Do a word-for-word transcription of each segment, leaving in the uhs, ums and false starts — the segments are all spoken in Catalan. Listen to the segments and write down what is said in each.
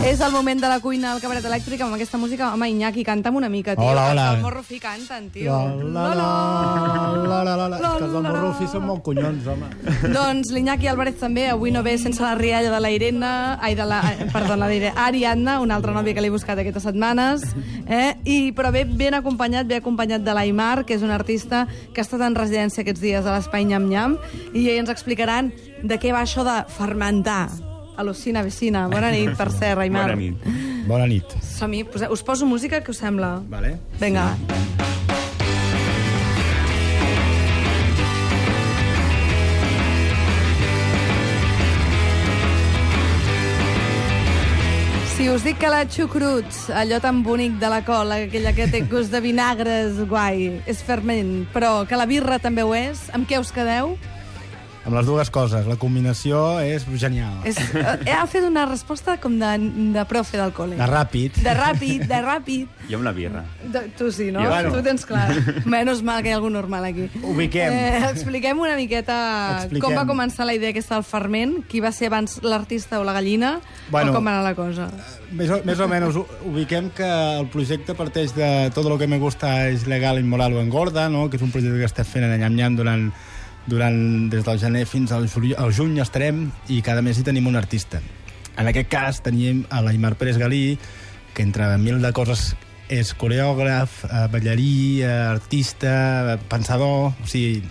És el moment de la cuina al cabaret elèctric amb aquesta música. Home, Iñaki, canta'm una mica, tio. Hola, hola. Els del Morrofi canten, tio. La, la, la, la, la, la. És que els del Morrofi són molt collons, home. Doncs l'Iñaki Álvarez també, avui no ve sense la rialla de la Irene, ai, de la, perdó, la diré, Ariadna, una altra nòvia que l'he buscat aquestes setmanes, eh? I, però ve ben acompanyat, ve acompanyat de l'Aimar, que és un artista que ha estat en residència aquests dies a l'Espai Nyam Nyam, i ells ens explicaran de què va això de fermentar. Al·lucina, vecina. Bona nit, per cert, Aimar. Bona nit. Bona nit. Som-hi. Us poso música, què us sembla? Vale. Vinga. Si us dic que la xucrut, allò tan bonic de la col, aquella que té gust de vinagres, guai, és ferment, però que la birra també ho és, amb què us quedeu? Amb les dues coses. La combinació és genial. És, eh, ha fet una resposta com de, de profe del col·le. De ràpid. De ràpid, de ràpid. Jo amb la birra. De, tu sí, no? Jo, bueno. Tu tens clar. Menys mal que hi ha algú normal aquí. Ubiquem. Eh, expliquem una miqueta Expliquem. com va començar la idea aquesta del ferment, qui va ser abans l'artista o la gallina, Bueno, o com va anar la cosa. Més o, més o menys ubiquem que el projecte parteix de Todo lo que me gusta es legal, inmoral o engorda, no? Que és un projecte que estem fent a Nyam Nyam durant, durant des del gener fins al, juli, al juny estarem, i cada mes hi tenim un artista. En aquest cas tenim a l'Aimar Pérez Galí, que entre mil de coses és coreògraf, eh, ballarí, eh, artista, pensador, o sigui,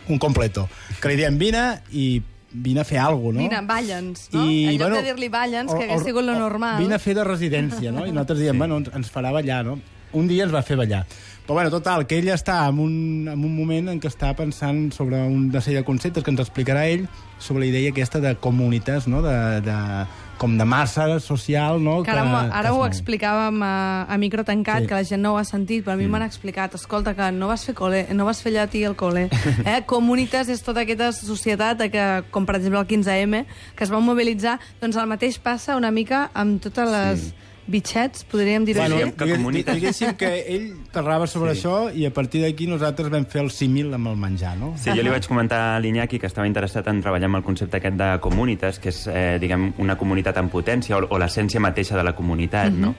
un completo. Que li diem vine i vine a fer alguna cosa, no? Vine, balla'ns, no? I, en lloc bueno, de dir-li balla'ns, o- que hagués o- sigut lo o- normal. Vine a fer de residència, no? I nosaltres diem, sí. bueno, ens, ens farà ballar, no? Un dia ens va fer ballar. Però, bueno, total, que ell està en un, en un moment en què està pensant sobre una sèrie de conceptes que ens explicarà ell, sobre la idea aquesta de comunitats, no? De, de, com de massa social, no? Que ara, que, ara que ho es mou. explicàvem a, a micro tancat, Sí. que la gent no ho ha sentit, però a mi Mm. m'han explicat, escolta, que no vas fer col·le, no vas fer llatí al col·le. Eh? Comunitas és tota aquesta societat que, com per exemple el quinze eme, que es va mobilitzar, doncs el mateix passa una mica amb totes les Sí. bitxets, podríem dir-ho Bueno, així. que digue- comunitats- diguéssim que ell parlava sobre Sí. això i a partir d'aquí nosaltres vam fer el símil amb el menjar, no? Sí, jo li vaig comentar a l'Iñaki que estava interessat en treballar amb el concepte aquest de comunitas, que és, eh, diguem, una comunitat en potència, o, o l'essència mateixa de la comunitat, uh-huh. no?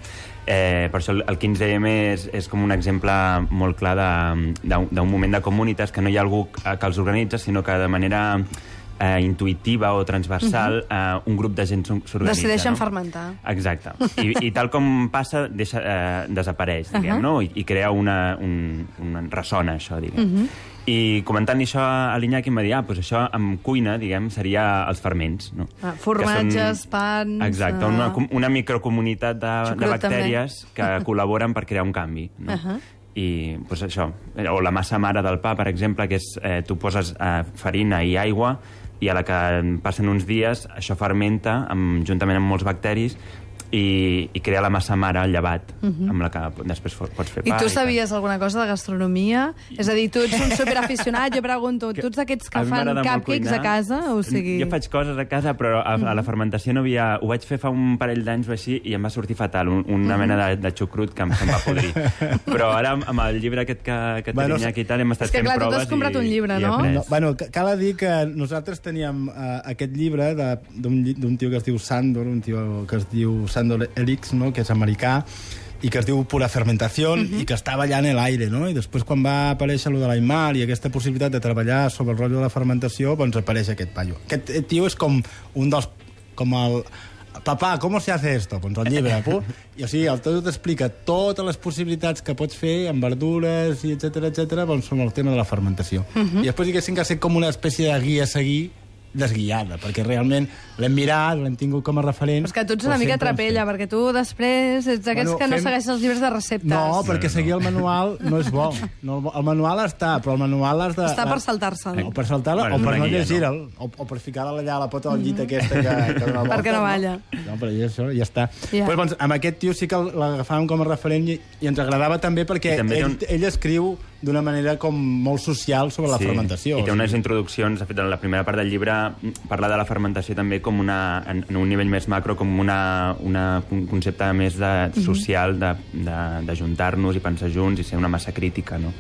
Eh, per això el, el quinze eme és, és com un exemple molt clar de- d'un d'un moment de comunitas, que no hi ha algú que els organitza, sinó que de manera eh, intuïtiva o transversal, uh -huh. eh, un grup de gent s'organitza. Decideixen no? fermentar. Exacte. I, i tal com passa, deixa, eh, desapareix, diguem, Uh-huh. no? I, i crea una, un, una ressona, això, diguem. Uh-huh. I comentant això a l'Iñaki em va dir, ah, doncs això amb cuina, diguem, seria els ferments, no? Ah, formatges, Que pans... Exacte, uh... una, com- una microcomunitat de, Xucrut, de bactèries que col·laboren per crear un canvi, no? Uh-huh. I doncs això, o la massa mare del pa, per exemple, que és, eh, tu poses eh, farina i aigua i a la que passen uns dies això fermenta amb, juntament amb molts bacteris i, i crea la massa mare, el llevat, uh-huh. amb la que després pots fer pa. I tu tal. sabies alguna cosa de gastronomia? És a dir, tu ets un superaficionat, jo pregunto, tu ets d'aquests que A mi fan m'agrada molt cupcakes cuinar. a casa? O sigui... Jo faig coses a casa, però a, a la fermentació no havia... Ho vaig fer fa un parell d'anys o així i em va sortir fatal, un, una Mm. mena de, de xucrut que em, se'm va podrir. Però ara, amb el llibre aquest que, que té Bueno, l'Iñaki i tal, hem estat és que, fent clar, tu proves t'has comprat i, un llibre, i he no? après. No, bueno, ca- cal dir que nosaltres teníem uh, aquest llibre de- d'un lli- d'un tio que es diu Sandor, un tio que es diu Sandor Elix, no? Que és americà, i que es diu Pura Fermentació, uh-huh. i que estava allà en l'aire, no? I després, quan va aparèixer lo de l'Aimar i aquesta possibilitat de treballar sobre el rotllo de la fermentació, doncs apareix aquest paio. Aquest tio és com un dels... com el... Papà, com se hace esto? Doncs el llibre, pu? I o sigui, el tio t'explica totes les possibilitats que pots fer amb verdures i etcètera, etcètera, doncs sobre el tema de la fermentació. Uh-huh. I després diguéssim que ha estat com una espècie de guia a seguir desguiada, perquè realment l'hem mirat, l'hem tingut com a referent... Però és que tu ets una però mica sempre hem trapella, fet. perquè tu després ets d'aquests Bueno, que no fem- segueixen els llibres de receptes. No, perquè seguir el manual no és bo. No, el manual està, però el manual has de... Està per saltar-se'l. O per saltar-la, Bueno, o per una no guia, llegir-la, o, o per ficar-la allà a la pota del llit aquesta que, que dona voltes, Perquè no balla. No, però ja, això ja està. Ja. Pues, doncs, amb aquest tio sí que l'agafàvem com a referent i, i ens agradava també perquè I també té ell, un- ell escriu d'una manera com molt social sobre la fermentació. I té unes introduccions, de fet, en la primera part del llibre parla de la fermentació també com una, en, en un nivell més macro, com una, una, un concepte més de, social, de, de, de juntar-nos i pensar junts i ser una massa crítica, no?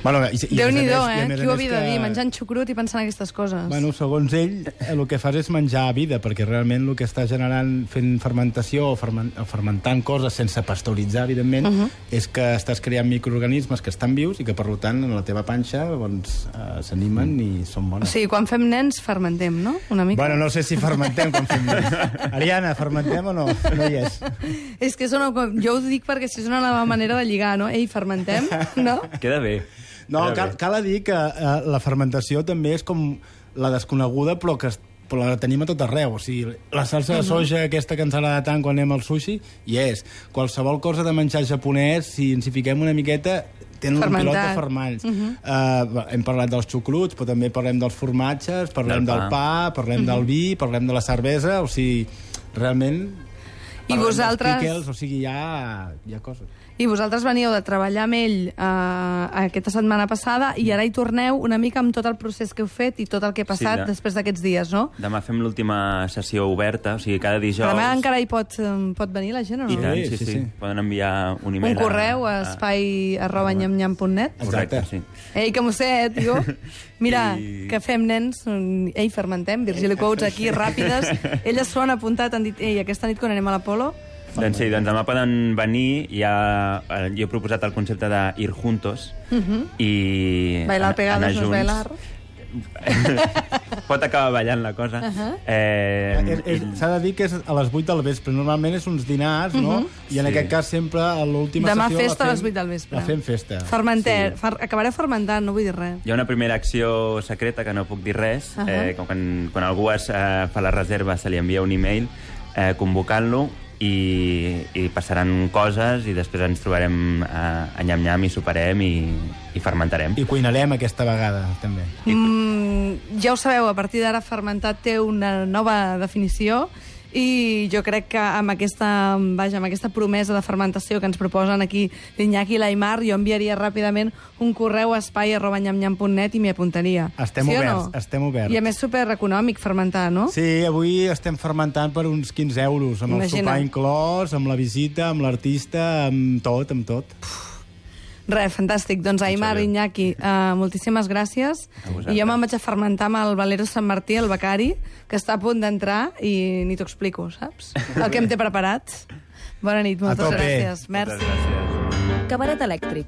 Bueno, i, i Déu-n'hi-do, a més- i a eh? més a Qui ho més havia de que- dir? Menjant xucrut i pensant aquestes coses. Bueno, segons ell, el que fas és menjar a vida, perquè realment el que està generant fent fermentació o, ferment, o fermentant coses sense pasteuritzar, evidentment, uh -huh. és que estàs creant microorganismes que estan vius i que, per tant, en la teva panxa doncs, eh, s'animen i són O bones. sigui, quan fem nens, fermentem, no? Una mica. Bueno, no sé si fermentem quan fem nens. Ariana, fermentem o no? No hi és. És que és una... jo ho dic perquè si és una nova manera de lligar, no? Ei, fermentem, no? Queda bé. No, Queda cal, bé. cal dir que eh, la fermentació també és com la desconeguda, però que es- però la tenim a tot arreu. O sigui, la salsa de soja, aquesta que ens agrada tant quan anem al sushi, hi és. Qualsevol cosa de menjar japonès, si ens hi fiquem una miqueta, tenen Fermentat. un pilot de fermalls. Uh -huh. uh, hem parlat dels xucruts, però també parlem dels formatges, parlem Del del pa. pa, parlem uh -huh. del vi, parlem de la cervesa, o sigui, realment... I parlem dels vosaltres- pickles, o sigui, hi ha, hi ha coses. I vosaltres veníeu de treballar amb ell eh, aquesta setmana passada i ara hi torneu una mica amb tot el procés que heu fet i tot el que ha passat Sí, ja. després d'aquests dies, no? Demà fem l'última sessió oberta, o sigui, cada dijous... Demà encara hi pot, eh, pot venir la gent o no? I tant, Sí, sí, sí, sí. sí. Poden enviar un Un e-mail correu a espai arroba nyamnyam punt net. Correcte, Exacte. sí. Ei, que m'ho sé, eh, tio. Mira, I- que fem nens, mm, ei, fermentem, Virgili Quotes aquí, ràpides. Elles s'ho han apuntat, han dit, ei, aquesta nit quan anem a l'Apolo... Doncs sí, doncs demà poden venir. Ja, eh, jo he proposat el concepte de ir juntos i... Bailar an- pegados anar no es junts. bailar. Pot acabar ballant la cosa. Uh -huh. eh, És- és- i- S'ha de dir que és a les vuit del vespre. Normalment és uns dinars, no? I en Sí. aquest cas sempre a l'última Demà sessió... festa la a fem- les vuit del vespre. La fem festa. Fermenter, fer, acabareu fermentant, no vull dir res. Hi ha una primera acció secreta que no puc dir res. Ahà. eh, que quan, quan algú es, eh, fa la reserva se li envia un e-mail eh, convocant-lo i, i passaran coses i després ens trobarem a, a nyam-nyam i soparem i, i fermentarem. I cuinarem aquesta vegada, també. Mm, ja ho sabeu, a partir d'ara fermentat té una nova definició i jo crec que amb aquesta, vaja, amb aquesta promesa de fermentació que ens proposen aquí l'Iñaki i l'Aimar, jo enviaria ràpidament un correu a espai arroba nyamnyam punt net i m'hi apuntaria. Estem sí o oberts, no? estem oberts. I a més supereconòmic fermentar, no? Sí, avui estem fermentant per uns quinze euros, amb Imagina't. el sopar inclòs, amb la visita, amb l'artista, amb tot, amb tot. Res, fantàstic. Doncs Aimar, Senyor. Iñaki, uh, moltíssimes gràcies. A vosaltres. I jo me'n vaig a fermentar amb el Valero Sant Martí, el becari, que està a punt d'entrar i ni t'ho explico, saps? El que em té preparat. Bona nit, moltes tope. gràcies. Merci. Moltes gràcies. Cabaret elèctric,